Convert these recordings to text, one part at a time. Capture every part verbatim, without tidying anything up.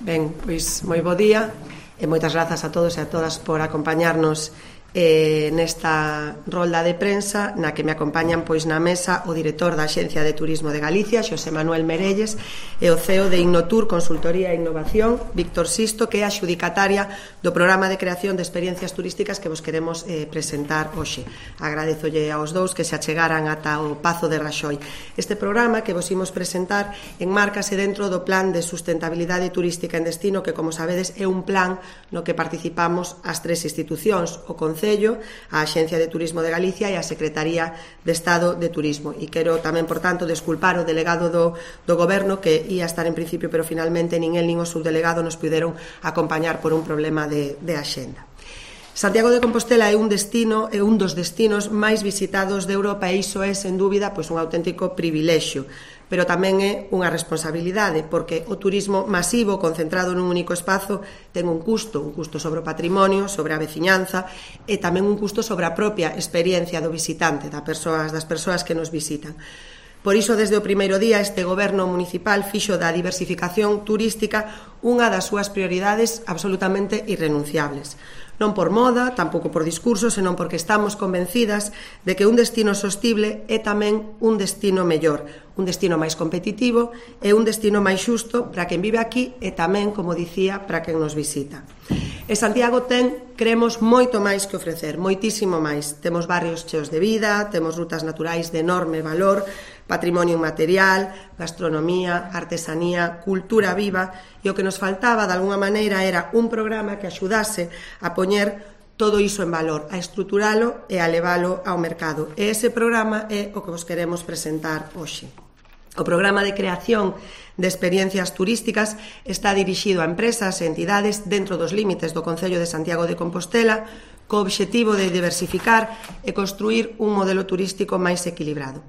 Ben, pois moi bo día e moitas grazas a todos e a todas por acompañarnos eh, nesta rolda de prensa na que me acompañan pois na mesa o director da Axencia de Turismo de Galicia, Xosé Manuel Merelles, e o C E O de Innotur Consultoría e Innovación, Víctor Sisto, que é a xudicataria do programa de creación de experiencias turísticas que vos queremos eh, presentar hoxe. Agradezolle aos dous que se achegaran ata o Pazo de Raxoi. Este programa que vos imos presentar enmárcase dentro do Plan de Sustentabilidade Turística en Destino, que, como sabedes, é un plan no que participamos as tres institucións, o Concello, a Axencia de Turismo de Galicia e a Secretaría de Estado de Turismo. E quero tamén, por tanto, desculpar o delegado do, do Goberno, que ia estar en principio, pero finalmente nin el nin o subdelegado nos puderon acompañar por un problema de, de axenda. Santiago de Compostela é un destino, é un dos destinos máis visitados de Europa e iso é, sen dúbida, pois un auténtico privilexio, pero tamén é unha responsabilidade, porque o turismo masivo concentrado nun único espazo ten un custo, un custo sobre o patrimonio, sobre a veciñanza e tamén un custo sobre a propia experiencia do visitante, das persoas, das persoas que nos visitan. Por iso, desde o primeiro día, este goberno municipal fixo da diversificación turística unha das súas prioridades absolutamente irrenunciables. Non por moda, tampouco por discurso, senón porque estamos convencidas de que un destino sostible é tamén un destino mellor, un destino máis competitivo e un destino máis xusto para quen vive aquí e tamén, como dicía, para quen nos visita. E Santiago ten, creemos, moito máis que ofrecer, moitísimo máis. Temos barrios cheos de vida, temos rutas naturais de enorme valor, patrimonio inmaterial, gastronomía, artesanía, cultura viva, e o que nos faltaba, de alguna maneira, era un programa que axudase a poñer todo iso en valor, a estruturalo e a levalo ao mercado. E ese programa é o que vos queremos presentar hoxe. O programa de creación de experiencias turísticas está dirixido a empresas e entidades dentro dos límites do Concello de Santiago de Compostela, co obxectivo de diversificar e construir un modelo turístico máis equilibrado.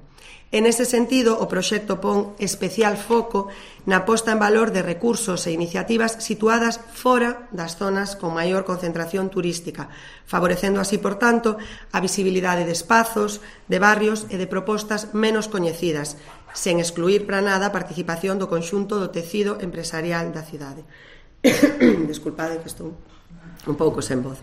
En ese sentido, o proxecto pon especial foco na posta en valor de recursos e iniciativas situadas fora das zonas con maior concentración turística, favorecendo así, por tanto, a visibilidade de espazos, de barrios e de propostas menos coñecidas, sen excluir para nada a participación do conxunto do tecido empresarial da cidade. Desculpade que estou un pouco sen voz.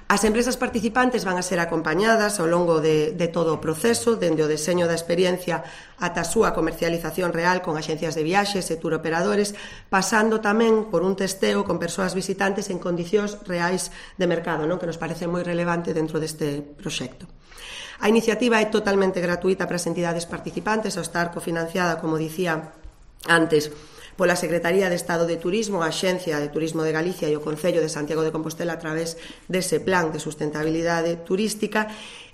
As empresas participantes van a ser acompañadas ao longo de, de todo o proceso, dende o deseño da experiencia ata a súa comercialización real con axencias de viaxes e turoperadores, pasando tamén por un testeo con persoas visitantes en condicións reais de mercado, non? Que nos parece moi relevante dentro deste proxecto. A iniciativa é totalmente gratuita para as entidades participantes, ao estar cofinanciada, como dicía antes, pola Secretaría de Estado de Turismo, a Axencia de Turismo de Galicia e o Concello de Santiago de Compostela a través dese plan de sustentabilidade turística.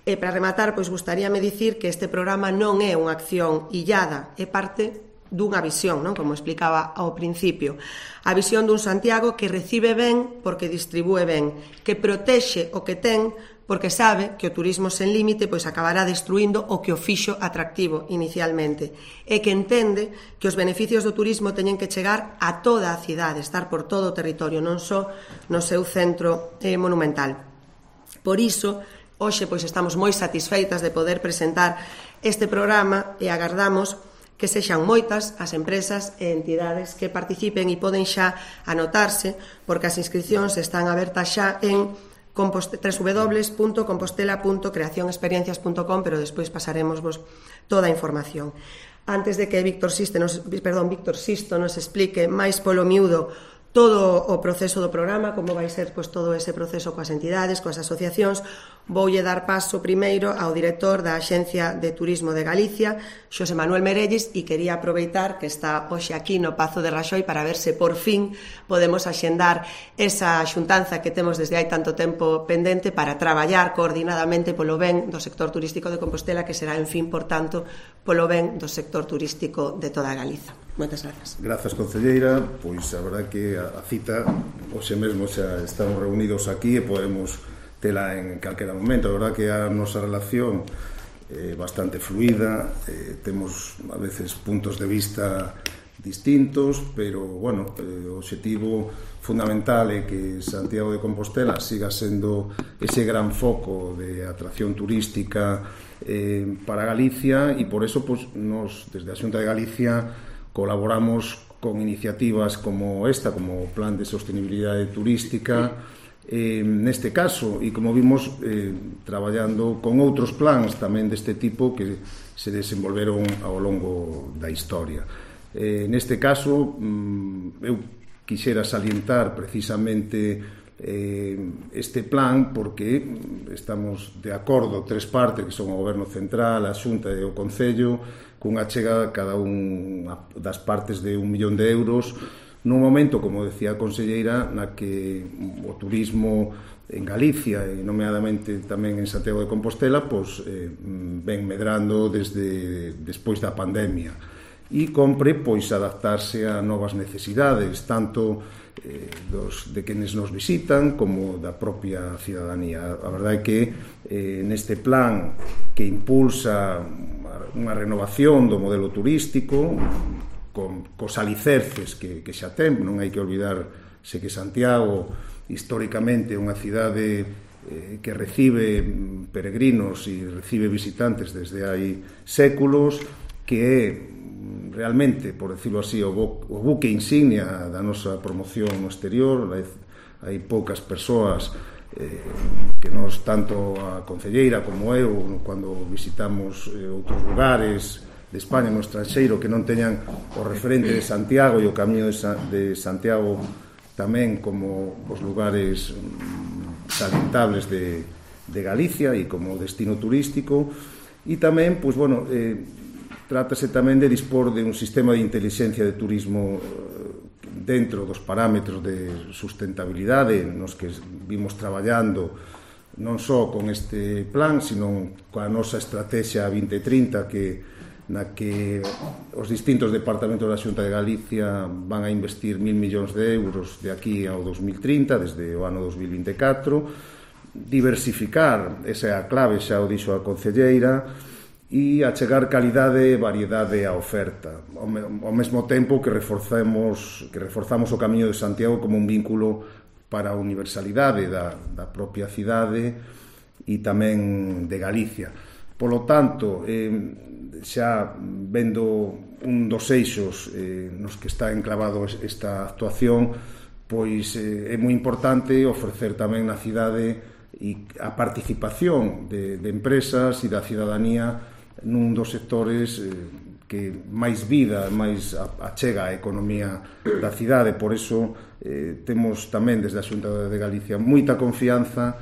E para rematar, pois gustaríame dicir que este programa non é unha acción illada, é parte dunha visión, non? Como explicaba ao principio. A visión dun Santiago que recibe ben porque distribúe ben, que protexe o que ten porque sabe que o turismo sen límite pois acabará destruindo o que o fixo atractivo inicialmente e que entende que os beneficios do turismo teñen que chegar a toda a cidade, estar por todo o territorio, non só no seu centro eh, monumental. Por iso, hoxe pois estamos moi satisfeitas de poder presentar este programa e agardamos que sexan moitas as empresas e entidades que participen e poden xa anotarse porque as inscripcións están abertas xa en w w w punto compostela punto creación experiencias punto com, pero despois pasaremos vos toda a información. Antes de que Víctor Sisto nos, perdón, Víctor Sisto nos explique máis polo miúdo todo o proceso do programa, como vai ser pois, todo ese proceso coas entidades, coas asociacións, voulle dar paso primeiro ao director da Axencia de Turismo de Galicia, Xosé Manuel Merelles, e quería aproveitar que está hoxe aquí no Pazo de Raxoi para ver se por fin podemos axendar esa xuntanza que temos desde hai tanto tempo pendente para traballar coordinadamente polo ben do sector turístico de Compostela, que será, en fin, por tanto, polo ben do sector turístico de toda Galiza. Moitas grazas. Grazas, concelleira. Pois a verdade que a cita hoxe mesmo xa estamos reunidos aquí e podemos tela en calquera momento. A verdade que a nosa relación é bastante fluida, eh, temos a veces puntos de vista distintos, pero, bueno, eh, o obxectivo fundamental é que Santiago de Compostela siga sendo ese gran foco de atracción turística eh, para Galicia e por eso, pues, nos, desde a Xunta de Galicia, colaboramos con iniciativas como esta, como o Plan de Sostenibilidade Turística, eh, neste caso, e como vimos, eh, traballando con outros plans tamén deste tipo que se desenvolveron ao longo da historia. Eh, neste caso, mm, eu quixera salientar precisamente eh, este plan porque estamos de acordo tres partes que son o Goberno Central, a Xunta e o Concello, cunha chega cada unha das partes de un millón de euros nun momento, como decía a conselleira, na que o turismo en Galicia e nomeadamente tamén en Santiago de Compostela pois, eh, ven medrando desde despois da pandemia e compre pois adaptarse a novas necesidades tanto eh, dos, de quenes nos visitan como da propia cidadanía. A verdade é que eh, neste plan que impulsa unha renovación do modelo turístico con, cos alicerces que, que xa ten, non hai que olvidarse que Santiago históricamente é unha cidade eh, que recibe peregrinos e recibe visitantes desde hai séculos, que é realmente, por decirlo así, o, bo, o buque insignia da nosa promoción no exterior. Hai, hai poucas persoas eh, que nos, tanto a concelleira como eu, cando visitamos eh, outros lugares de España no estranxeiro, que non teñan o referente de Santiago e o camiño de, Sa de Santiago tamén como os lugares mm, salientables de, de Galicia e como destino turístico. E tamén, pois, bueno, eh, trátase tamén de dispor de un sistema de inteligencia de turismo dentro dos parámetros de sustentabilidade nos que vimos traballando non só con este plan, sino coa nosa estrategia vinte trinta, que na que os distintos departamentos da Xunta de Galicia van a investir mil millóns de euros de aquí ao dos mil trinta, desde o ano dos mil vinte e catro, diversificar, esa é a clave, xa o dixo a concelleira, e achegar calidade e variedade á oferta, ao mesmo tempo que reforzamos, que reforzamos o Camiño de Santiago como un vínculo para a universalidade da, da propia cidade e tamén de Galicia. Polo tanto, eh, xa vendo un dos eixos eh, nos que está enclavado esta actuación, pois eh, é moi importante ofrecer tamén na cidade e a participación de, de empresas e da cidadanía nun dos sectores eh, que máis vida, máis achega a economía da cidade. Por iso eh, temos tamén desde a Xunta de Galicia moita confianza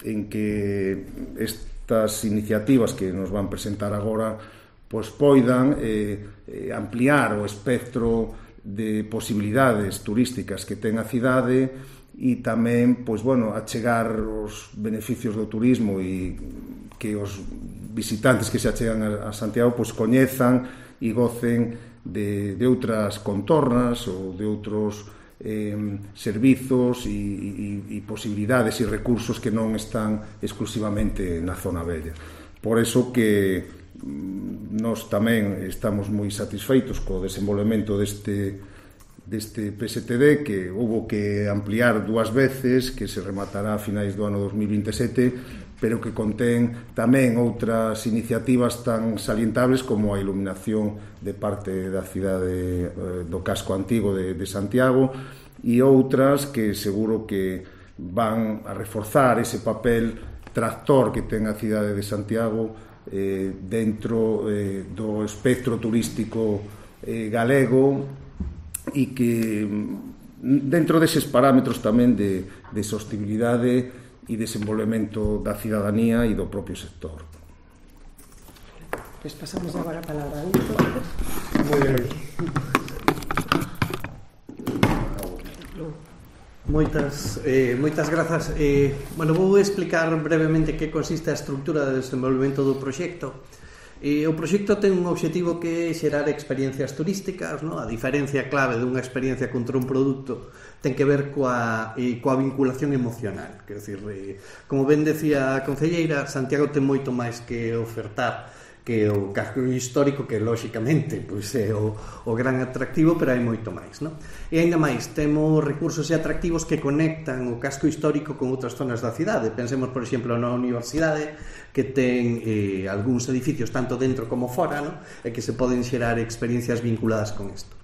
en que estas iniciativas que nos van presentar agora pois poidan eh, eh, ampliar o espectro de posibilidades turísticas que ten a cidade e tamén, pois, bueno, achegar os beneficios do turismo e que os visitantes que se achegan a Santiago pois coñezan e gocen de, de outras contornas ou de outros eh, servizos e, e, e posibilidades e recursos que non están exclusivamente na zona bella. Por eso que nós tamén estamos moi satisfeitos co desenvolvemento deste deste P S T D, que houve que ampliar dúas veces, que se rematará a finais do ano dos mil vinte e sete, pero que contén tamén outras iniciativas tan salientables como a iluminación de parte da cidade eh, do casco antigo de, de Santiago e outras que seguro que van a reforzar ese papel tractor que ten a cidade de Santiago eh, dentro eh, do espectro turístico eh, galego e que dentro deses parámetros tamén de, de sostenibilidade e desenvolvemento da cidadanía e do propio sector. Pues pasamos agora a palabra a Víctor. Moi ben. Moitas, eh, moitas grazas. Eh, bueno, vou explicar brevemente que consiste a estructura de desenvolvemento do proxecto. E o proxecto ten un obxectivo que é xerar experiencias turísticas, no? A diferencia clave dunha experiencia contra un produto ten que ver coa, eh, coa vinculación emocional. Quer dizer, eh, como ben decía a concelleira, Santiago ten moito máis que ofertar que o casco histórico, que lóxicamente pois, é o, o gran atractivo, pero hai moito máis, non? E ainda máis, temos recursos e atractivos que conectan o casco histórico con outras zonas da cidade. Pensemos, por exemplo, na universidade, que ten eh, algúns edificios tanto dentro como fora, non? E que se poden xerar experiencias vinculadas con isto.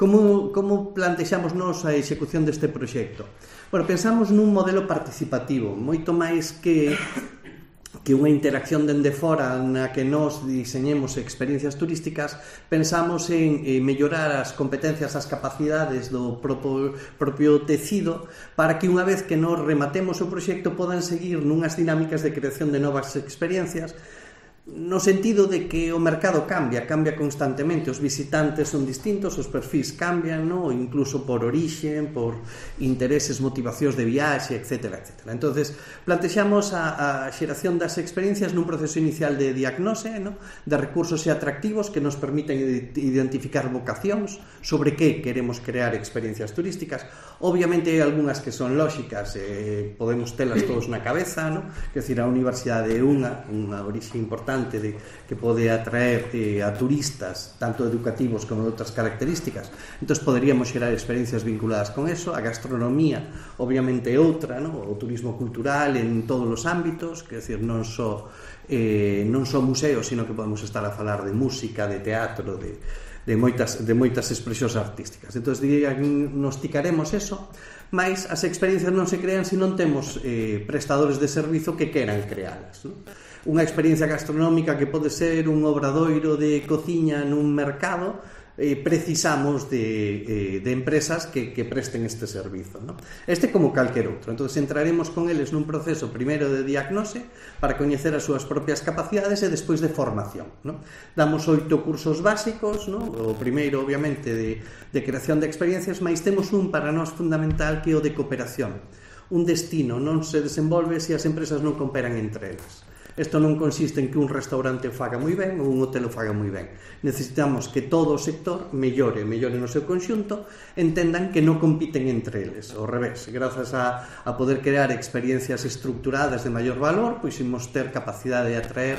Como, como plantexamos nos a execución deste proxecto? Bueno, pensamos nun modelo participativo, moito máis que que unha interacción dende fora na que nós diseñemos experiencias turísticas. Pensamos en eh, mellorar as competencias, as capacidades do propio, propio tecido para que unha vez que nos rematemos o proxecto podan seguir nunhas dinámicas de creación de novas experiencias, no sentido de que o mercado cambia, cambia constantemente, os visitantes son distintos, os perfis cambian, ¿no? Incluso por orixen, por intereses, motivacións de viaxe, etcétera, etcétera. Entonces, plantexamos a, a xeración das experiencias nun proceso inicial de diagnose, ¿no? De recursos e atractivos que nos permiten identificar vocacións sobre que queremos crear experiencias turísticas. Obviamente hai algunhas que son lóxicas, eh, podemos telas todos na cabeza, ¿no? Quer dizer, a universidade é unha, unha orixe importante de, que pode atraer eh, a turistas tanto educativos como de outras características, entón poderíamos xerar experiencias vinculadas con eso. A gastronomía obviamente é outra, ¿no? O turismo cultural en todos os ámbitos, quer dizer, non só eh, non só museos, sino que podemos estar a falar de música, de teatro, de, de, moitas, de moitas expresións artísticas. Entón diagnosticaremos eso, mas as experiencias non se crean se non temos eh, prestadores de servizo que queran crealas, ¿no? Unha experiencia gastronómica que pode ser un obradoiro de cociña nun mercado, eh, precisamos de, eh, de empresas que, que presten este servizo, ¿no? Este como calquer outro. Entón, entraremos con eles nun proceso primeiro de diagnose para coñecer as súas propias capacidades e despois de formación, ¿no? Damos oito cursos básicos, ¿no? O primeiro, obviamente, de, de creación de experiencias, mas temos un para nós fundamental que é o de cooperación. Un destino non se desenvolve se as empresas non cooperan entre elas. Isto non consiste en que un restaurante o faga moi ben ou un hotel o faga moi ben. Necesitamos que todo o sector mellore, mellore no seu conxunto, entendan que non compiten entre eles. Ao revés, grazas a, a poder crear experiencias estructuradas de maior valor, pois imos ter capacidade de atraer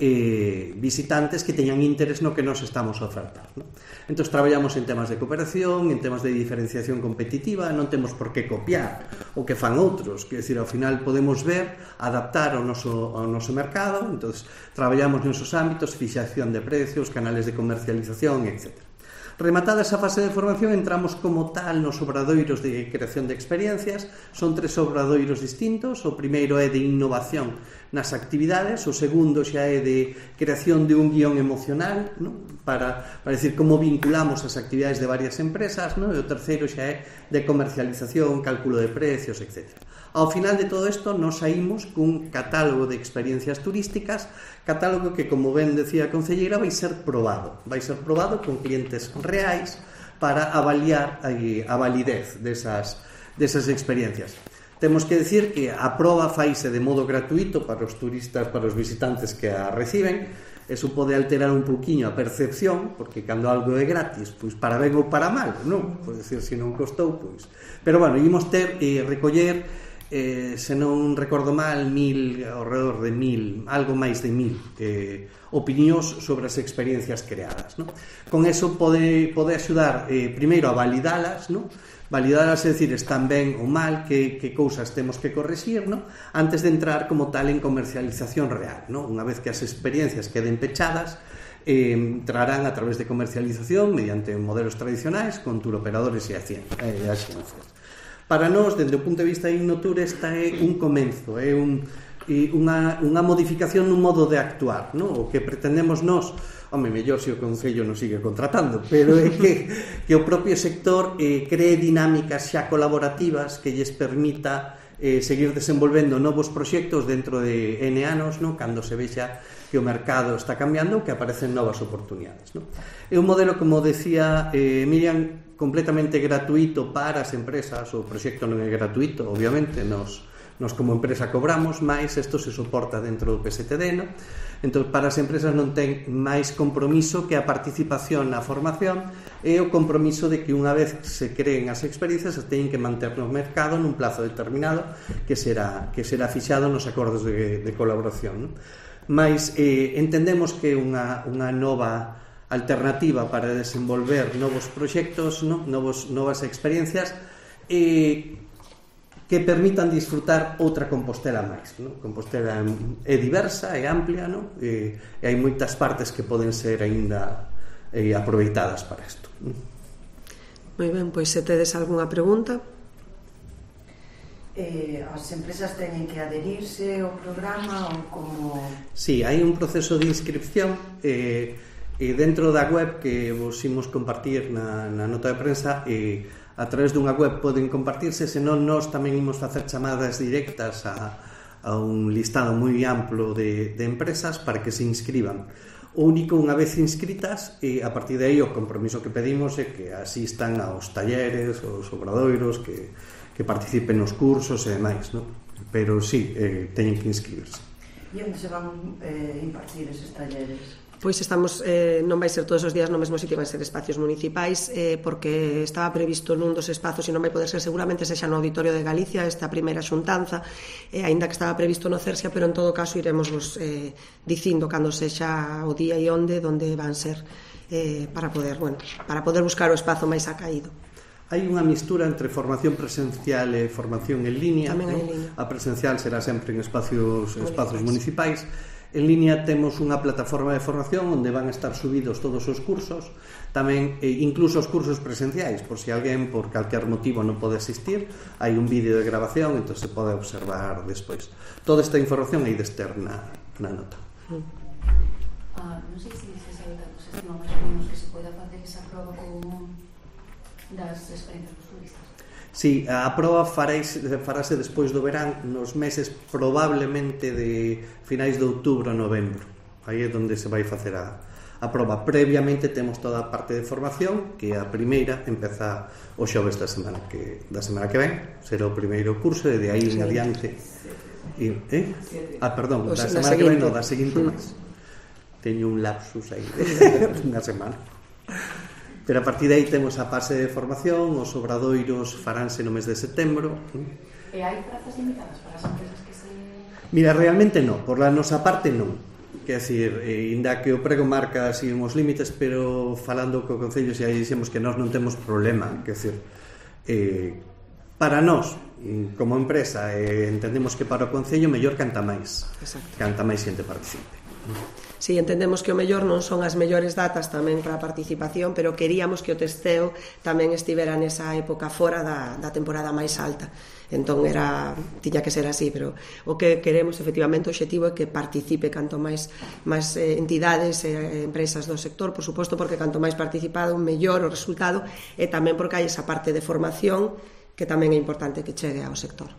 eh, visitantes que teñan interés no que nos estamos a ofertar, ¿no? Entón, traballamos en temas de cooperación, en temas de diferenciación competitiva, non temos por que copiar o que fan outros, quer dizer, ao final podemos ver, adaptar ao noso, ao noso mercado. Entón, traballamos nesos ámbitos, fixación de precios, canales de comercialización, etcétera. Rematada esa fase de formación, entramos como tal nos obradoiros de creación de experiencias. Son tres obradoiros distintos. O primeiro é de innovación nas actividades, o segundo xa é de creación de un guión emocional, ¿no? para, para decir como vinculamos as actividades de varias empresas, ¿no? E o terceiro xa é de comercialización, cálculo de precios, etcétera. Ao final de todo isto nos saímos cun catálogo de experiencias turísticas, catálogo que, como ben decía a concelleira, vai ser probado vai ser probado con clientes reais para avaliar a, a validez desas, desas experiencias. Temos que decir que a proba faise de modo gratuito para os turistas, para os visitantes que a reciben. Eso pode alterar un pouquiño a percepción, porque cando algo é gratis, pois para ben ou para mal, non? Pode ser, se non costou, pois. Pero, bueno, ímos ter e eh, recoller, eh, se non recordo mal, mil, ao redor de mil, algo máis de mil eh, opinións sobre as experiencias creadas, non? Con eso pode, pode axudar, eh, primeiro, a validalas, non? Validalas, é dicir, están ben ou mal, que, que cousas temos que corrixir, ¿no? Antes de entrar como tal en comercialización real, ¿no? Unha vez que as experiencias queden pechadas, eh, entrarán a través de comercialización mediante modelos tradicionais con turoperadores e axencias. Para nós, dende o punto de vista de Innotur, esta é un comenzo, é un, unha, unha modificación nun modo de actuar, ¿no? O que pretendemos nós, home, mellor se o Concello non sigue contratando, pero é que, que o propio sector eh, cree dinámicas xa colaborativas que lles permita eh, seguir desenvolvendo novos proxectos dentro de N anos, ¿no? Cando se vexa que o mercado está cambiando, que aparecen novas oportunidades, ¿no? É un modelo, como decía eh, Miriam, completamente gratuito para as empresas. O proxecto non é gratuito, obviamente, nos, nos como empresa cobramos, mais isto se soporta dentro do P S T D, ¿no? Entón, para as empresas non ten máis compromiso que a participación na formación e o compromiso de que unha vez se creen as experiencias se teñen que manter no mercado nun plazo determinado que será, que será fixado nos acordos de, de colaboración, ¿no? Mais eh, entendemos que unha, unha nova alternativa para desenvolver novos proxectos, ¿no? Novos, novas experiencias e eh, que permitan disfrutar outra Compostela máis, ¿no? Compostela é diversa, é amplia, ¿no? E, e hai moitas partes que poden ser aínda eh, aproveitadas para isto. Moi ben, pois se tedes algunha pregunta. Eh, as empresas teñen que adherirse ao programa ou como... Sí, hai un proceso de inscripción e, e dentro da web que vos imos compartir na, na nota de prensa e a través dunha web poden compartirse, senón nós tamén imos facer chamadas directas a, a un listado moi amplo de, de empresas para que se inscriban. O único, unha vez inscritas, e a partir de aí o compromiso que pedimos é que asistan aos talleres, aos obradoiros, que, que participen nos cursos e demais, non? Pero sí, eh, teñen que inscribirse. E onde se van eh, impartir eses talleres? Pois estamos, eh, non vai ser todos os días no mesmo sitio, van ser espacios municipais, eh, porque estaba previsto nun dos espazos e non vai poder ser, seguramente sexa no Auditorio de Galicia esta primeira xuntanza, eh, aínda que estaba previsto no Cersia, pero en todo caso iremos vos eh, dicindo cando sexa o día e onde, onde van ser, eh, para poder, bueno, para poder buscar o espazo máis acaído. Hai unha mistura entre formación presencial e formación en línea, Tamén hai ¿no? en línea. A presencial será sempre en espacios, espazos municipais. En línea temos unha plataforma de formación onde van a estar subidos todos os cursos, tamén eh, incluso os cursos presenciais, por si alguén por calquer motivo non pode asistir, hai un vídeo de grabación, entón se pode observar despois. Toda esta información hai de estar na, na nota. Mm. Ah, non sei se se sabe datos, estima máis ou menos que se poida facer esa proba con das experiencias dos turistas. Sí, a proba faréis, farase despois do verán, nos meses probablemente de finais de outubro a novembro. Aí é onde se vai facer a, a proba. Previamente temos toda a parte de formación, que a primeira empeza o xoves da semana que, da semana que ven, será o primeiro curso, e de aí en adiante... E, eh? Ah, perdón, da semana que ven, non, da seguinte máis. Teño un lapsus aí de unha semana. Pero a partir de aí temos a fase de formación, os obradoiros faránse no mes de setembro. E hai prazas limitadas para as empresas que se... Mira, realmente non, por la nosa parte non. Quer decir, eh, inda que o prego marca así uns límites, pero falando co Concello xa dixemos que nós non temos problema. Quer decir, eh, para nós, como empresa, eh, entendemos que para o Concello mellor canta máis. Exacto. Canta máis xente participe. Si, sí, entendemos que o mellor non son as mellores datas tamén para a participación, pero queríamos que o testeo tamén estivera nesa época fora da, da temporada máis alta. Entón era, tiña que ser así, pero o que queremos, efectivamente, o objetivo é que participe canto máis, máis eh, entidades e eh, empresas do sector, por suposto, porque canto máis participado, mellor o resultado, e tamén porque hai esa parte de formación que tamén é importante que chegue ao sector.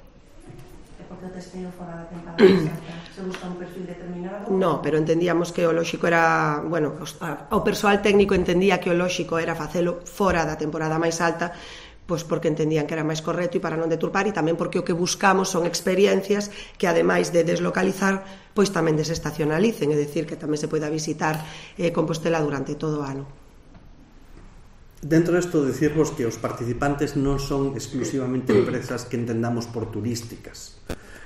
Porque o testeo fora da temporada exacta se busca un perfil determinado? No, pero entendíamos que o lóxico era, bueno, o persoal técnico entendía que o lóxico era facelo fora da temporada máis alta, pois porque entendían que era máis correcto e para non deturpar, e tamén porque o que buscamos son experiencias que ademais de deslocalizar, pois tamén desestacionalicen, é dicir, que tamén se poida visitar eh, Compostela durante todo o ano. Dentro desto, decirvos que os participantes non son exclusivamente empresas que entendamos por turísticas,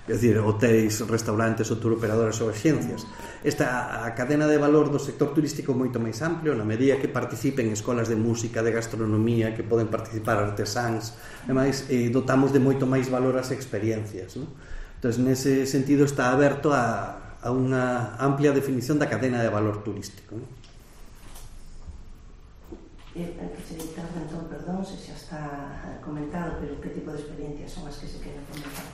é dicir, hotéis, restaurantes, ou turoperadoras ou axencias. Esta a cadena de valor do sector turístico é moito máis amplio, na medida que participen escolas de música, de gastronomía, que poden participar artesáns, e máis, eh, dotamos de moito máis valor as experiencias, non? Entón, nese sentido está aberto a, a unha amplia definición da cadena de valor turístico, non? Eh, que se interna, entón, perdón, se xa está comentado, pero que tipo de experiencias son as que se queren fomentar?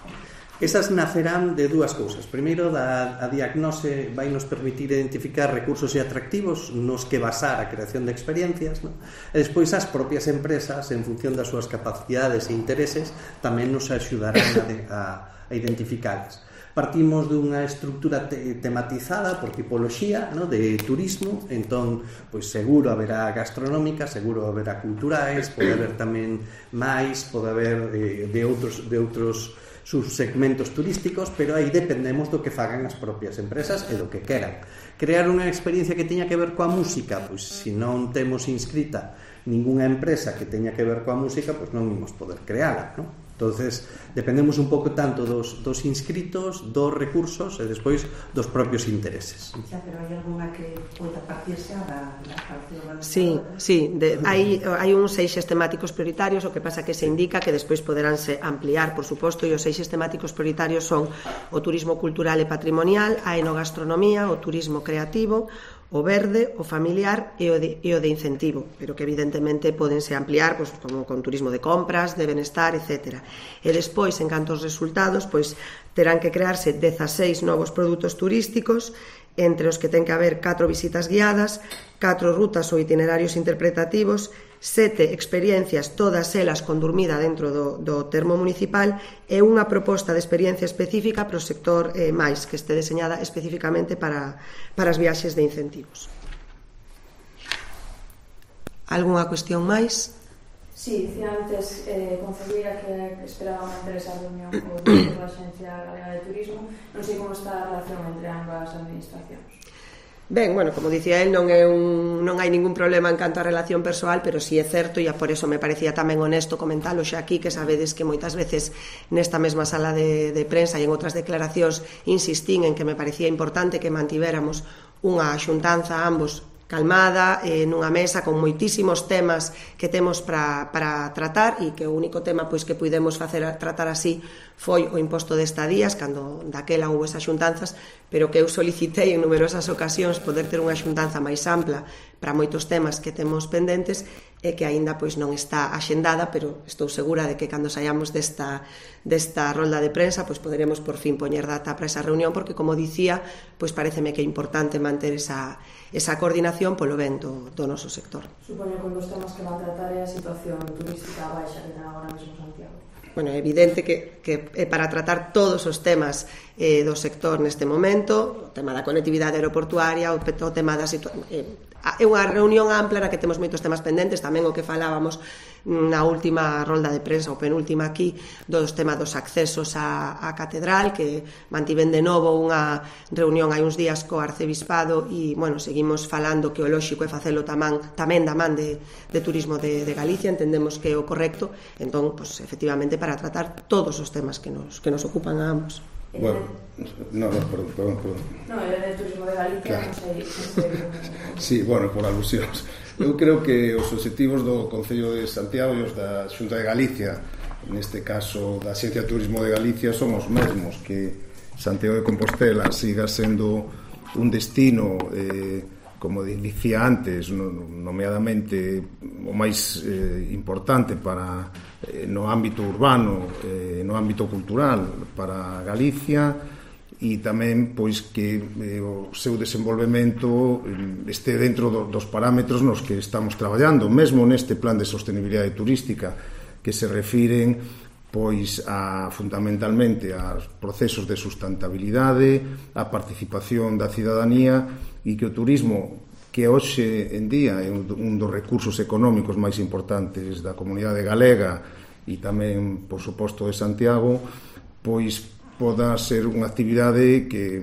Esas nacerán de dúas cousas. Primeiro, da, a diagnose vai nos permitir identificar recursos e atractivos nos que basar a creación de experiencias, non? E despois as propias empresas, en función das súas capacidades e intereses, tamén nos axudarán a, de, a, a identificalas. Partimos dunha estructura te tematizada por tipoloxía, ¿no?, de turismo, entón, pois seguro haberá gastronómica, seguro haberá culturais, pode haber tamén máis, pode haber eh, de outros de outros subsegmentos turísticos, pero aí dependemos do que fagan as propias empresas e do que queran. Crear unha experiencia que teña que ver coa música, pois se non temos inscrita ningunha empresa que teña que ver coa música, pois non imos poder creala, non? Entonces, dependemos un pouco tanto dos, dos inscritos, dos recursos e despois dos propios intereses. Xa, pero hai alguna que poida partirse da, da parte organizadora? Sí, sí, de, hai, hai uns eixes temáticos prioritarios, o que pasa que se indica que despois poderánse ampliar, por suposto, e os eixes temáticos prioritarios son o turismo cultural e patrimonial, a enogastronomía, o turismo creativo, o verde, o familiar e o de, e o de incentivo, pero que evidentemente podense ampliar, pois, como con turismo de compras, de benestar, etcétera. E despois, en canto aos resultados, pois terán que crearse dezaseis novos produtos turísticos, entre os que ten que haber catro visitas guiadas, catro rutas ou itinerarios interpretativos, sete experiencias, todas elas con dormida dentro do, do termo municipal, e unha proposta de experiencia específica para o sector eh, máis, que este deseñada especificamente para, para as viaxes de incentivos. Algúnha cuestión máis? Sí, dicía antes, eh, concelleira, que esperaba manter esa reunión co director da Axencia Galega de Turismo. Non sei como está a relación entre ambas administracións. Ben, bueno, como dicía el, non, é un, non hai ningún problema en canto a relación persoal, pero si sí é certo, e por eso me parecía tamén honesto comentalo xa aquí, que sabedes que moitas veces nesta mesma sala de, de prensa e en outras declaracións insistín en que me parecía importante que mantivéramos unha xuntanza ambos calmada, eh, nunha mesa con moitísimos temas que temos para, para tratar, e que o único tema pois que puidemos facer tratar así foi o imposto de estadías, cando daquela houve esas xuntanzas, pero que eu solicitei en numerosas ocasións poder ter unha xuntanza máis ampla para moitos temas que temos pendentes, e que aínda pois non está axendada, pero estou segura de que cando saíamos desta, desta rolda de prensa pois poderemos por fin poñer data para esa reunión, porque como dicía, pois pareceme que é importante manter esa, esa coordinación polo ben do, do noso sector. Supoño que un dos temas que van a tratar é a situación turística baixa que ten agora mesmo Santiago. Bueno, é evidente que, que é para tratar todos os temas eh, do sector neste momento, o tema da conectividade aeroportuaria, o, o tema da situación... Eh, é unha reunión ampla na que temos moitos temas pendentes, tamén o que falábamos na última rolda de prensa, ou penúltima aquí, dos temas dos accesos á, á catedral, que mantiven de novo unha reunión hai uns días co arcebispado, e, bueno, seguimos falando que o lóxico é facelo tamén, tamén da man de, de turismo de, de Galicia, entendemos que é o correcto, entón, pues, efectivamente, para tratar todos os temas que nos, que nos ocupan a ambos. Bueno, no, no, perdón, perdón, perdón. No, era de turismo de Galicia, claro. Non sei, non sei. Sí, bueno, por alusións. Eu creo que os obxectivos do Concello de Santiago e os da Xunta de Galicia, neste caso da Axencia de Turismo de Galicia, son os mesmos, que Santiago de Compostela siga sendo un destino, eh, como dicía antes, nomeadamente o máis eh, importante para eh, no ámbito urbano, eh, no ámbito cultural para Galicia, e tamén pois que eh, o seu desenvolvemento eh, este dentro do, dos parámetros nos que estamos traballando, mesmo neste plan de sostenibilidade turística, que se refiren pois a fundamentalmente aos procesos de sustentabilidade, a participación da cidadanía, e que o turismo, que hoxe en día é un dos recursos económicos máis importantes da comunidade galega e tamén, por suposto, de Santiago, pois poda ser unha actividade que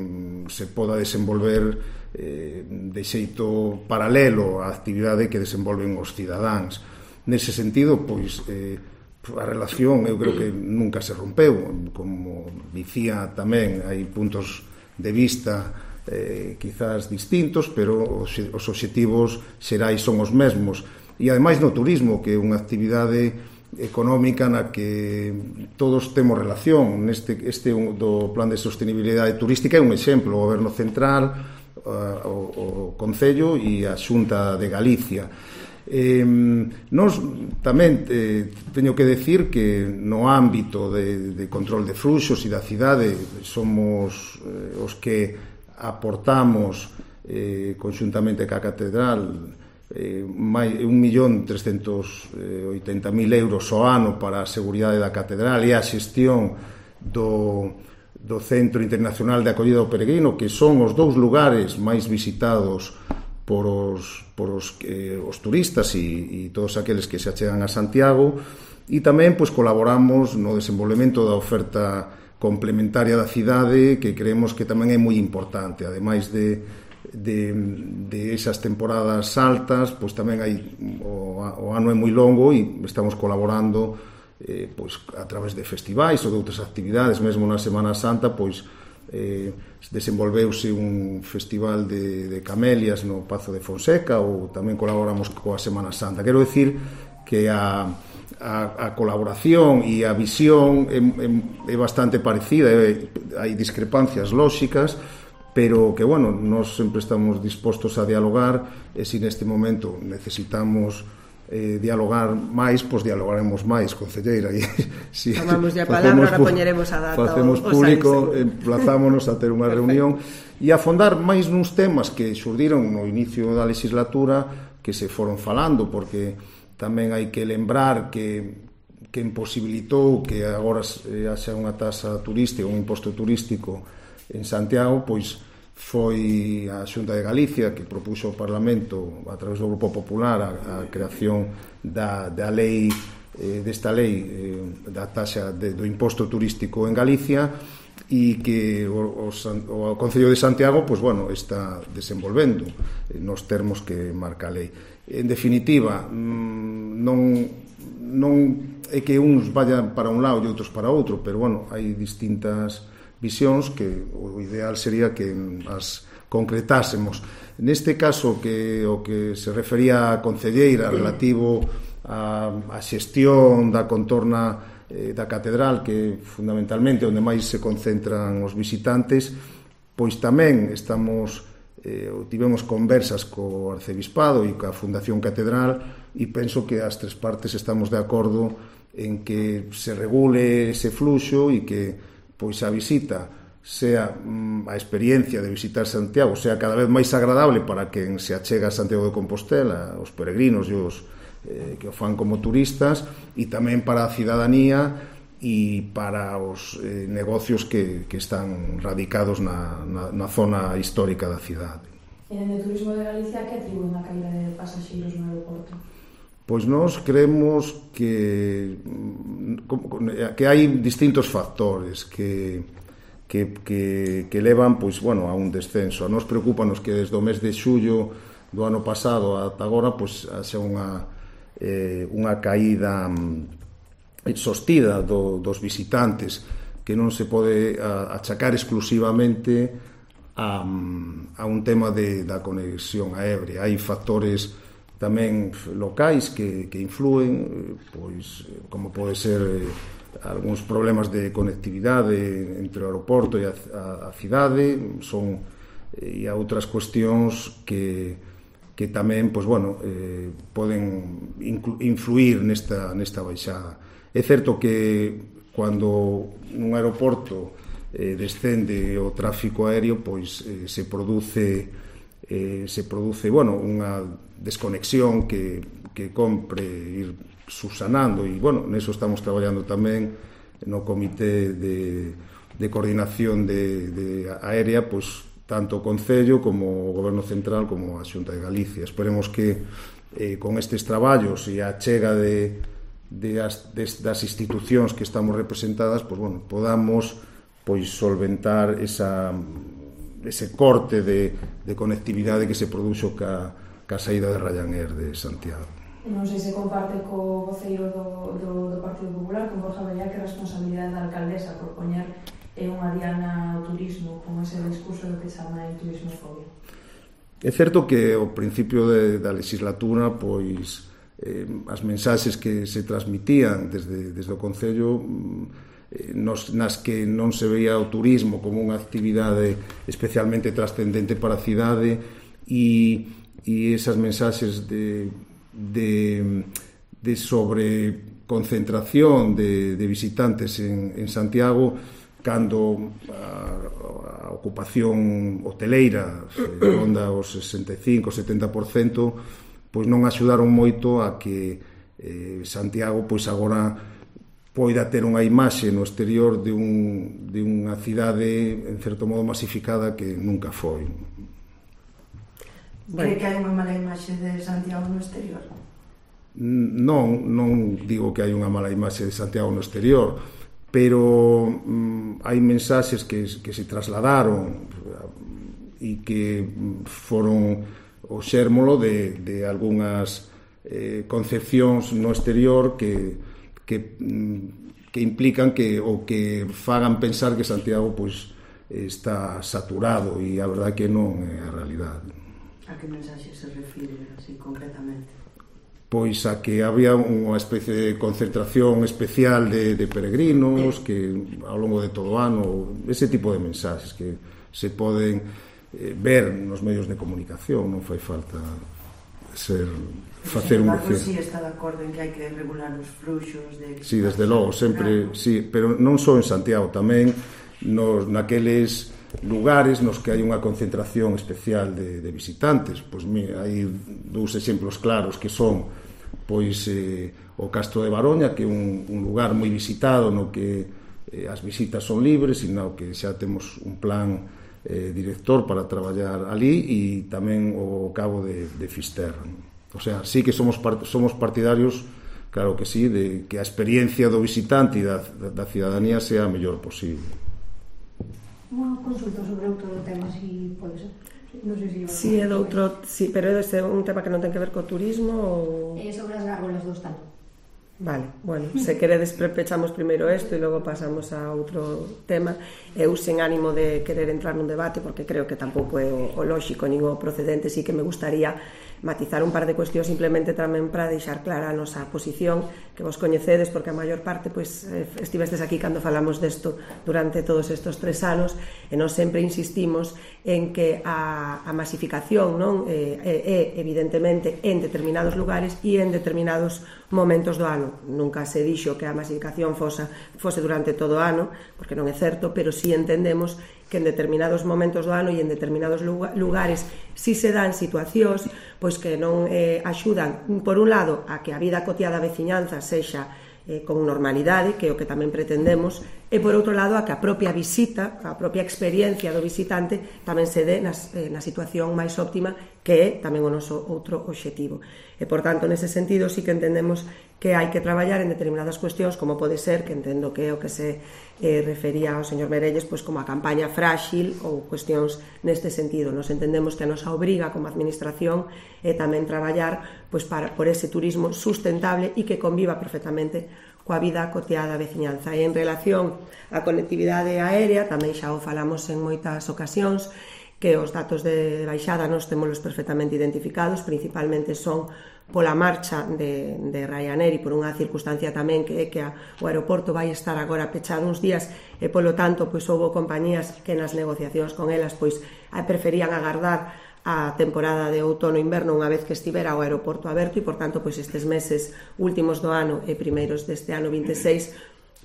se poda desenvolver eh, de xeito paralelo á actividade que desenvolven os cidadáns. Nese sentido, pois, eh, a relación eu creo que nunca se rompeu, como dicía tamén, hai puntos de vista eh, quizás distintos, pero os, os obxectivos xerais son os mesmos, e ademais no turismo, que é unha actividade económica na que todos temos relación. Neste este do plan de sostenibilidade turística é un exemplo, o Goberno Central, o, o Concello e a Xunta de Galicia. Eh, nos tamén eh, teño que decir que no ámbito de, de control de fluxos e da cidade somos eh, os que aportamos eh, conxuntamente ca catedral eh, máis un millón trescentos oitenta mil euros ao ano para a seguridade da catedral e a xestión do, do Centro Internacional de Acollida do Peregrino, que son os dous lugares máis visitados por os, por os, eh, os turistas e, e todos aqueles que se achegan a Santiago, e tamén pois, colaboramos no desenvolvemento da oferta complementaria da cidade, que creemos que tamén é moi importante. Ademais de, de, de esas temporadas altas, pois tamén hai o, o ano é moi longo e estamos colaborando eh, pois, a través de festivais ou de outras actividades. Mesmo na Semana Santa, pois eh, desenvolveuse un festival de, de camelias no Pazo de Fonseca, ou tamén colaboramos coa Semana Santa. Quero decir que a, a, a colaboración e a visión é, é, é bastante parecida, é, hai discrepancias lóxicas, pero que, bueno, nós sempre estamos dispostos a dialogar, e se neste momento necesitamos eh, dialogar máis, pois dialogaremos máis, concelleira. E, si tomamos a palabra, ahora poñeremos a data. Facemos público, emplazámonos a ter unha reunión e afondar máis nuns temas que xurdiron no inicio da legislatura, que se foron falando, porque tamén hai que lembrar que que imposibilitou que agora haxa unha taxa turística, un imposto turístico en Santiago, pois foi a Xunta de Galicia que propuxo ao Parlamento a través do Grupo Popular a, a creación da, da lei eh, desta lei eh, da taxa de, do imposto turístico en Galicia, e que o, o, o Concello de Santiago pois, bueno, está desenvolvendo nos termos que marca a lei. En definitiva, non, non é que uns vayan para un lado e outros para outro, pero bueno, hai distintas visións que o ideal sería que as concretásemos. Neste caso, que o que se refería a concelleira relativo a, a xestión da contorna eh, da catedral, que fundamentalmente onde máis se concentran os visitantes, pois tamén estamos eh, tivemos conversas co Arcebispado e coa Fundación Catedral, e penso que as tres partes estamos de acordo en que se regule ese fluxo e que pois a visita sea mm, a experiencia de visitar Santiago sea cada vez máis agradable para quen se achega a Santiago de Compostela, os peregrinos e os eh, que o fan como turistas, e tamén para a cidadanía e para os eh, negocios que, que están radicados na, na, na zona histórica da cidade. E en el turismo de Galicia, que atribuen a caída de pasaxeiros no aeroporto? Pois nós creemos que que hai distintos factores que, que, que, que levan pois, bueno, a un descenso. A nos preocupanos que desde o mes de xullo do ano pasado ata agora pois, haxa unha, eh, unha caída sostida do, dos visitantes, que non se pode a, achacar exclusivamente a, a un tema de, da conexión aérea. Hai factores tamén locais que, que influen, pois como pode ser eh, algúns problemas de conectividade entre o aeroporto e a, a, a cidade, son e a outras cuestións que, que tamén, pois bueno, eh, poden inclu, influir nesta, nesta baixada. É certo que cando nun aeroporto eh, descende o tráfico aéreo, pois eh, se produce eh, se produce, bueno, unha desconexión que, que compre ir subsanando, e, bueno, neso estamos traballando tamén no Comité de, de Coordinación de, de Aérea, pois, tanto o Concello como o Goberno Central como a Xunta de Galicia. Esperemos que eh, con estes traballos e a chega de, de as, de, das institucións que estamos representadas, pois, bueno, podamos pois, solventar esa ese corte de, de conectividade que se produxo ca, ca saída de Ryanair de Santiago. Non sei se comparte co voceiro do, do, do Partido Popular, con Borja Bellá, que a responsabilidade da alcaldesa por poñer eh, unha diana ao turismo con ese discurso do que chama el turismofobia. É certo que ao principio de, da legislatura, pois eh, as mensaxes que se transmitían desde, desde o Concello Nos, nas que non se veía o turismo como unha actividade especialmente trascendente para a cidade, e, e esas mensaxes de, de, de sobreconcentración de, de visitantes en, en Santiago, cando a, a ocupación hoteleira ronda os sesenta e cinco a setenta por cento, pois non axudaron moito a que eh, Santiago pois agora poida ter unha imaxe no exterior de, un, de unha cidade en certo modo masificada que nunca foi. Cree que hai unha mala imaxe de Santiago no exterior? Non, non digo que hai unha mala imaxe de Santiago no exterior, pero mm, hai mensaxes que, que se trasladaron e que foron o xérmolo de, de algunhas eh, concepcións no exterior que que, que implican que ou que fagan pensar que Santiago pois está saturado, e a verdade que non é a realidade. A que mensaxe se refire así concretamente? Pois a que había unha especie de concentración especial de, de peregrinos que ao longo de todo o ano, ese tipo de mensaxes que se poden eh, ver nos medios de comunicación, non fai falta ser facer un vecino. Si está de acordo en que hai que regular os fluxos de... Si, sí, desde logo, sempre, sí, pero non só en Santiago, tamén nos, naqueles lugares nos que hai unha concentración especial de, de visitantes. Pois mira, hai dous exemplos claros que son pois eh, o Castro de Baroña, que é un, un lugar moi visitado no que eh, as visitas son libres e no que xa temos un plan eh, director para traballar ali, e tamén o Cabo de, de Fisterra. O sea, sí que somos, part, somos partidarios, claro que sí, de que a experiencia do visitante e da, da, da cidadanía sea a mellor posible. Unha consulta sobre outro tema, se pode ser. Non sei se... Si é doutro, sí, pero é un tema que non ten que ver co turismo ou... É sobre as gárgolas do Estado. Vale, bueno, se queredes pechamos primeiro isto e logo pasamos a outro tema. Eu sen ánimo de querer entrar nun debate, porque creo que tampouco é o, o lóxico nin o procedente, sí que me gustaría matizar un par de cuestións simplemente tamén para deixar clara a nosa posición, que vos coñecedes, porque a maior parte pois, estivestes aquí cando falamos desto durante todos estes tres anos, e nós sempre insistimos en que a, a masificación non é, é evidentemente en determinados lugares e en determinados momentos do ano. Nunca se dixo que a masificación fosa, fose durante todo o ano, porque non é certo, pero sí entendemos que en determinados momentos do ano e en determinados lugares si se dan situacións pois que non eh, axudan, por un lado, a que a vida cotiá da veciñanza sexa eh, con normalidade, que é o que tamén pretendemos, e por outro lado a que a propia visita, a propia experiencia do visitante tamén se dé nas, eh, na situación máis óptima, que é tamén o noso outro obxectivo. E, por tanto, nese sentido, sí que entendemos que hai que traballar en determinadas cuestións, como pode ser, que entendo que é o que se eh, refería ao señor Merelles, pois como a campaña frágil ou cuestións neste sentido. Nos entendemos que a nosa obriga como administración é tamén traballar pois, para, por ese turismo sustentable e que conviva perfectamente coa vida cotiada da veciñanza. E en relación á conectividade aérea, tamén xa o falamos en moitas ocasións, que os datos de baixada nos témolos perfectamente identificados, principalmente son pola marcha de, de Ryanair e por unha circunstancia tamén que é que a, o aeroporto vai estar agora pechado uns días e polo tanto pois houbo compañías que nas negociacións con elas pois preferían agardar a temporada de outono-inverno unha vez que estivera o aeroporto aberto e por tanto pois estes meses últimos do ano e primeiros deste ano vinte e seis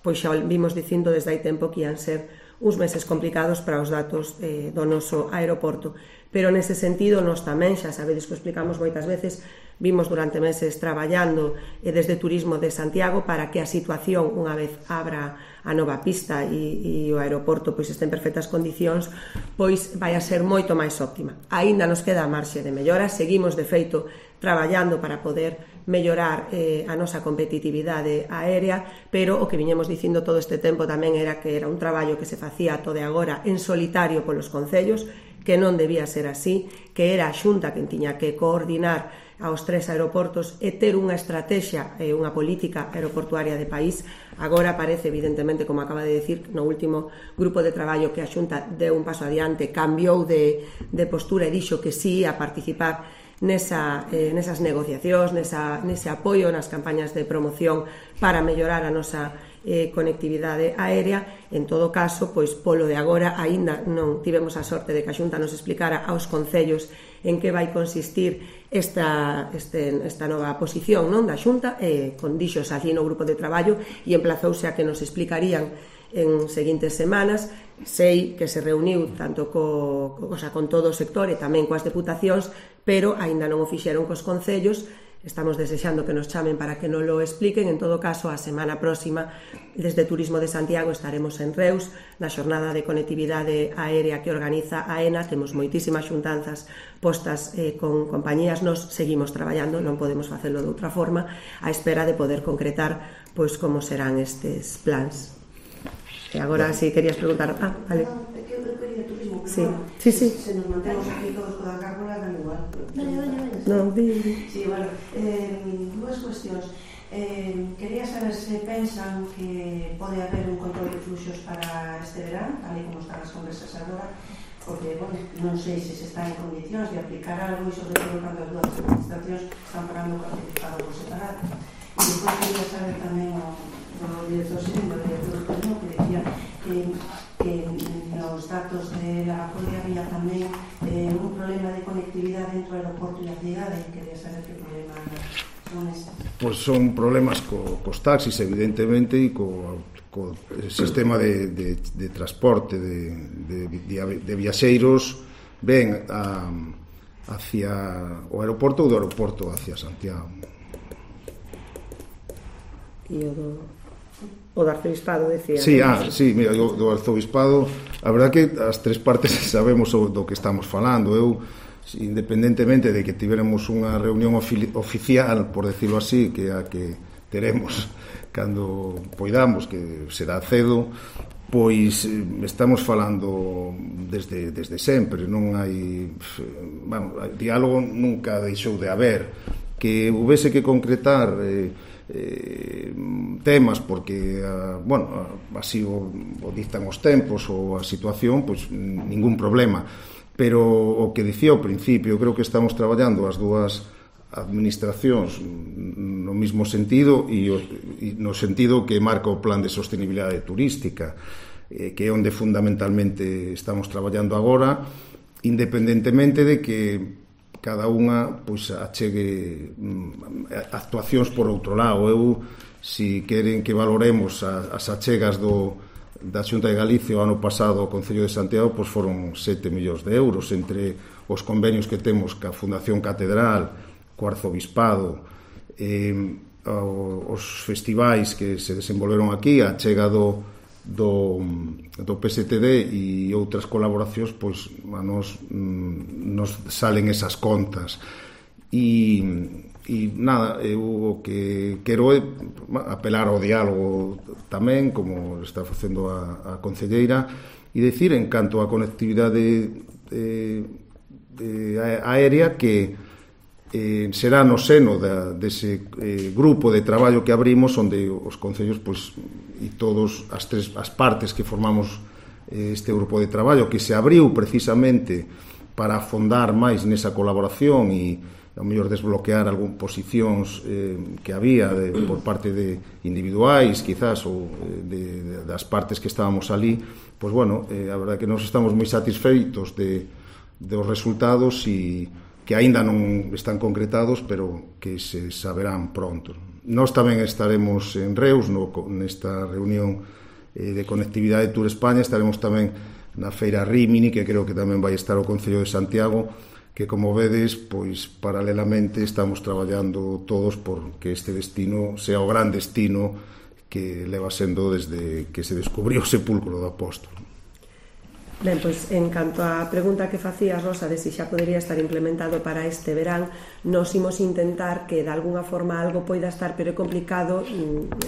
pois xa vimos dicindo desde hai tempo que ian ser uns meses complicados para os datos eh, do noso aeroporto. Pero nese sentido, nós tamén, xa sabedes que o explicamos moitas veces, vimos durante meses traballando eh, desde Turismo de Santiago para que a situación, unha vez abra a nova pista e, e o aeroporto pois este en perfectas condicións, pois vai a ser moito máis óptima. Aínda nos queda a marxe de mellora, seguimos de feito traballando para poder mellorar eh, a nosa competitividade aérea, pero o que viñemos dicindo todo este tempo tamén era que era un traballo que se facía todo de agora en solitario polos concellos, que non debía ser así, que era a Xunta quen tiña que coordinar aos tres aeroportos e ter unha estrategia e unha política aeroportuaria de país. Agora parece, evidentemente, como acaba de decir, no último grupo de traballo que a Xunta deu un paso adiante, cambiou de, de postura e dixo que sí a participar nesa, eh, nesas negociacións, nesa, nese apoio nas campañas de promoción para mellorar a nosa eh, conectividade aérea. En todo caso, pois polo de agora aínda non tivemos a sorte de que a Xunta nos explicara aos concellos en que vai consistir esta, este, esta nova posición non da Xunta, eh, con dixos allí no grupo de traballo e emplazouse a que nos explicarían en seguintes semanas. Sei que se reuniu tanto co, co, o sea, con todo o sector e tamén coas deputacións, pero aínda non o fixeron cos concellos. Estamos desexando que nos chamen para que nos lo expliquen. En todo caso, a semana próxima, desde Turismo de Santiago, estaremos en Reus, na xornada de conectividade aérea que organiza a ENA. Temos moitísimas xuntanzas postas eh, con compañías. Nos seguimos traballando, non podemos facelo de outra forma, a espera de poder concretar pois como serán estes plans. E agora, si querías preguntar... Ah, vale. No, é que eu quería turismo, pero sí. bueno, Sí, sí. Se nos mantemos aquí todos con a gárgola, dan igual. Vale, vale, vale. No, di, di. Sí, bueno, eh, dúas cuestións. Eh, quería saber se pensan que pode haber un control de fluxos para este verán, tal e como están as conversas agora, porque, bueno, non sei se se está en condicións de aplicar algo e sobre todo cando as dúas administracións están parando o participado por separado. E depois quería saber tamén o do director segundo, do director do turismo, que decía que, que nos datos de la entre o aeroporto e a cidade, quería saber que problemas son esas. Pois son problemas co, cos taxis, evidentemente, e co, co sistema de, de, de transporte de, de, de, de viaxeiros ven a, hacia o aeroporto ou do aeroporto hacia Santiago. E o do, o do arzobispado, decía. Sí, ah, sí, mira, do, do arzobispado, a verdad que as tres partes sabemos do que estamos falando. Eu, independentemente de que tiveremos unha reunión ofi- oficial, por decirlo así, que a que teremos cando poidamos, que será cedo, pois estamos falando desde, desde sempre, non hai, bueno, diálogo nunca deixou de haber, que houvese que concretar eh, eh, temas porque uh, bueno, así o, o dictan os tempos ou a situación, pois ningún problema, pero o que dicía ao principio, creo que estamos traballando as dúas administracións no mesmo sentido e, o, e no sentido que marca o plan de sostenibilidade turística, eh, que é onde fundamentalmente estamos traballando agora, independentemente de que cada unha pois achegue mm, actuacións por outro lado. Eu, si queren que valoremos a, as achegas do, da Xunta de Galicia o ano pasado ao Concello de Santiago, pois foron sete millóns de euros entre os convenios que temos ca Fundación Catedral, co Arzobispado, eh, os festivais que se desenvolveron aquí, a achega do do, do P S T D e outras colaboracións, pois a nos, nos salen esas contas e, e nada, eu o que quero é apelar ao diálogo tamén, como está facendo a, a concelleira, e dicir en canto á conectividade de, de aérea que eh, será no seno da, dese eh, grupo de traballo que abrimos, onde os concellos pois, e todos as tres as partes que formamos eh, este grupo de traballo, que se abriu precisamente para afondar máis nesa colaboración e ao mellor desbloquear algún posicións eh, que había de, por parte de individuais, quizás, ou de, de, das partes que estábamos ali, pois bueno, eh, a verdade que nos estamos moi satisfeitos de, dos resultados e que aínda non están concretados, pero que se saberán pronto. Nós tamén estaremos en Reus no, nesta reunión eh, de Conectividade Tour España, estaremos tamén na Feira Rímini, que creo que tamén vai estar o Concello de Santiago, que como vedes, pois paralelamente estamos traballando todos por que este destino sea o gran destino que leva sendo desde que se descubriu o sepulcro do apóstolo. Ben, pois, en canto á pregunta que facías, Rosa, de se xa podería estar implementado para este verán, nos imos intentar que de alguna forma algo poida estar, pero é complicado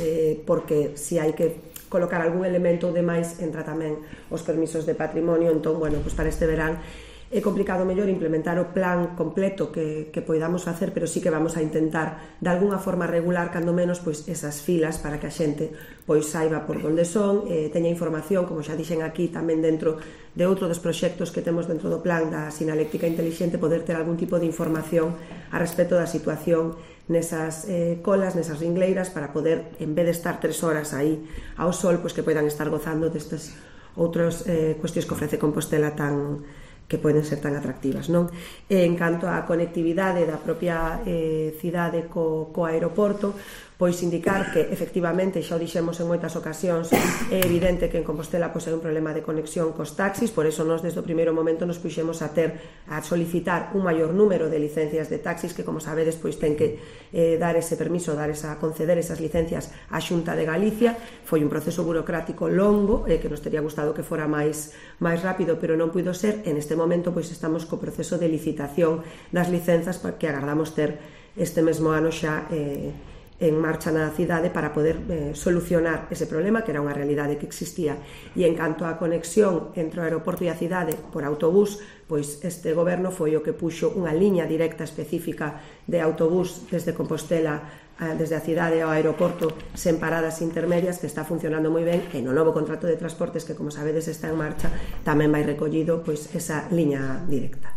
eh, porque se hai que colocar algún elemento de máis entra tamén os permisos de patrimonio, entón, bueno, pois para este verán é complicado mellor implementar o plan completo que, que poidamos facer, pero sí que vamos a intentar de alguna forma regular cando menos pois esas filas para que a xente pois saiba por onde son, eh, teña información, como xa dixen aquí, tamén dentro de outro dos proxectos que temos dentro do plan da sinaléctrica intelixente, poder ter algún tipo de información a respecto da situación nesas eh, colas, nesas ringleiras, para poder, en vez de estar tres horas aí ao sol, pois que poidan estar gozando destas outras eh, cuestións que ofrece Compostela tan que poden ser tan atractivas, non? En canto á conectividade da propia eh, cidade co, co aeroporto, pois indicar que efectivamente, xa o dixemos en moitas ocasións, é evidente que en Compostela pois, hai un problema de conexión cos taxis, por eso nós desde o primeiro momento nos puxemos a ter a solicitar un maior número de licencias de taxis que, como sabedes, pois ten que eh, dar ese permiso, dar esa, conceder esas licencias á Xunta de Galicia. Foi un proceso burocrático longo, eh, que nos teria gustado que fora máis, máis rápido, pero non puido ser. En este momento pois estamos co proceso de licitación das licenzas que agardamos ter este mesmo ano xa eh, en marcha na cidade para poder eh, solucionar ese problema, que era unha realidade que existía. E en canto á conexión entre o aeroporto e a cidade por autobús, pois este goberno foi o que puxo unha liña directa específica de autobús desde Compostela, desde a cidade ao aeroporto, sen paradas intermedias, que está funcionando moi ben, e no novo contrato de transportes, que como sabedes está en marcha, tamén vai recollido pois esa liña directa.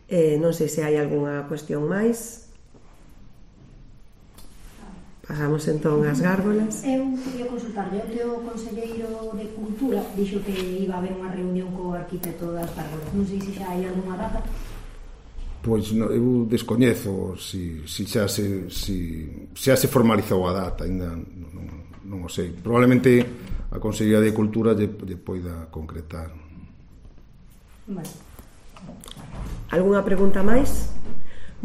Eh, non sei se hai algunha cuestión máis. Pasamos entón ás gárgolas. Eu queria consultarle que o conselleiro de Cultura dixo que iba a haber unha reunión co arquitecto das gárgolas. Non sei se xa hai algunha data. Pois no, eu descoñezo si, si xa se si, xa se formalizou a data, ainda non, non o sei. Probablemente a Consellería de Cultura lle, lle poida concretar. Vale. Algúna pregunta máis?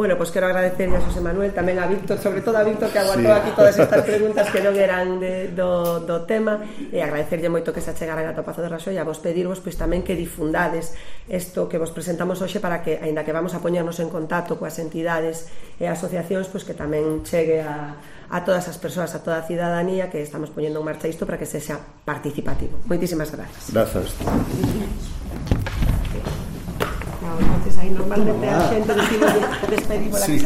Bueno, pois quero agradecerlle a Xosé Manuel, tamén a Víctor, sobre todo a Víctor que aguantou sí. aquí todas estas preguntas que non eran de, do, do tema, e agradecerlle moito que se achegaran ata o Pazo de Raxoi, a vos pedirvos pois tamén que difundades isto que vos presentamos hoxe para que, aínda que vamos a poñernos en contacto coas entidades e asociacións, pois que tamén chegue a, a todas as persoas, a toda a cidadanía que estamos poñendo en marcha isto para que sexa participativo. Moitísimas grazas. Grazas. Entonces aí normalmente a xente decimos despedimos la que